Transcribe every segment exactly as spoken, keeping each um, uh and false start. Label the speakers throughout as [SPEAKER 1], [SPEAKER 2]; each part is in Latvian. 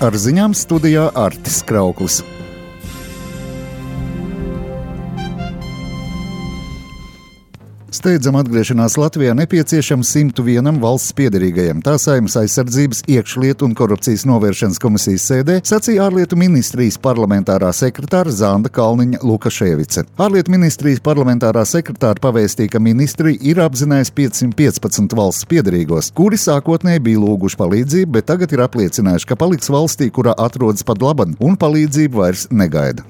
[SPEAKER 1] Ar ziņām studijā Artis Krauklis. Steidzama atgriešanās Latvijā nepieciešama simtu vienam valsts piederīgajam. Tā Saeimas aizsardzības, iekšlietu un korupcijas novēršanas komisijas sēdē sacīja ārlietu ministrijas parlamentārā sekretāra Zanda Kalniņa Lukaševice. Ārlietu ministrijas parlamentārā sekretāra pavēstīja, ka ministrija ir apzinājusi piecsimt piecpadsmit valsts piederīgos, kuri sākotnēji bija lūguši palīdzību, bet tagad ir apliecinājuši, ka paliks valstī, kurā atrodas pat laban, un palīdzību vairs negaida.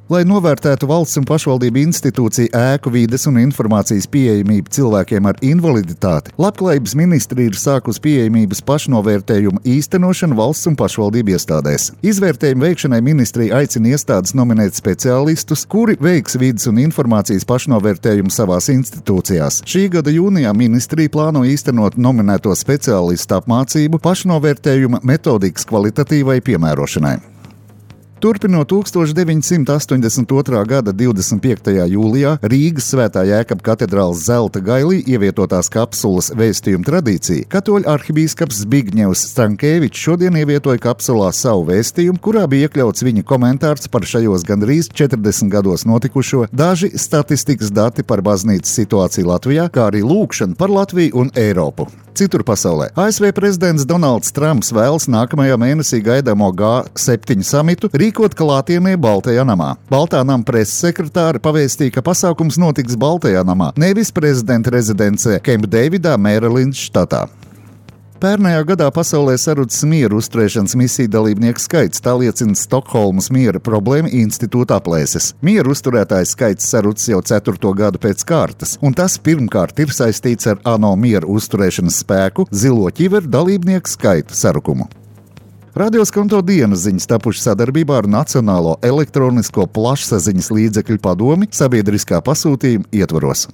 [SPEAKER 1] Lai novērtētu valsts un pašvaldību institūciju ēku, vides un informācijas pieejamību cilvēkiem ar invaliditāti, Labklājības ministrija ir sākusi pieejamības pašnovērtējumu īstenošanu valsts un pašvaldību iestādēs. Izvērtējumu veikšanai ministrija aicina iestādes nominēt speciālistus, kuri veiks vides un informācijas pašnovērtējumu savās institūcijās. Šī gada jūnijā ministrija plāno īstenot nominēto speciālistu apmācību pašnovērtējuma metodikas kvalitatīvai piemērošanai. Turpinot tūkstoš deviņsimt astoņdesmit otrā gada divdesmit piektajā jūlijā Rīgas Svētā Jēkaba katedrāles zelta gailī ievietotās kapsulas vēstījuma tradīciju, katoļu arhibīskaps Zbigņevs Stankēvičs šodien ievietoja kapsulā savu vēstījumu, kurā bija iekļauts viņa komentārs par šajos gandrīz četrdesmit gados notikušo, daži statistikas dati par baznīcas situāciju Latvijā, kā arī lūkšana par Latviju un Eiropu. Citur pasaulē A S V prezidents Donalds Trumps vēlas nākamajā mēnesī gaidāmo G septiņi samitu rīkot klātienē Baltajā namā. Baltā nama preses sekretāre pavēstīja, ka pasākums notiks Baltajā namā, nevis prezidenta rezidencē Kemp Deividā, Mērilendas štatā. Pērnajā gadā pasaulē sarucis mieru uzturēšanas misiju dalībnieku skaits, tā liecina Stokholmas miera problēma institūta aplēses. Mieru uzturētājs skaits sarucis jau ceturto gadu pēc kārtas, un tas pirmkārt ir saistīts ar ANO mieru uzturēšanas spēku zilo ķiveru dalībnieku skaitu sarukumu. Radioskonto dienas ziņas tapuši sadarbībā ar Nacionālo elektronisko plašsaziņas līdzekļu padomi sabiedriskā pasūtījuma ietvaros.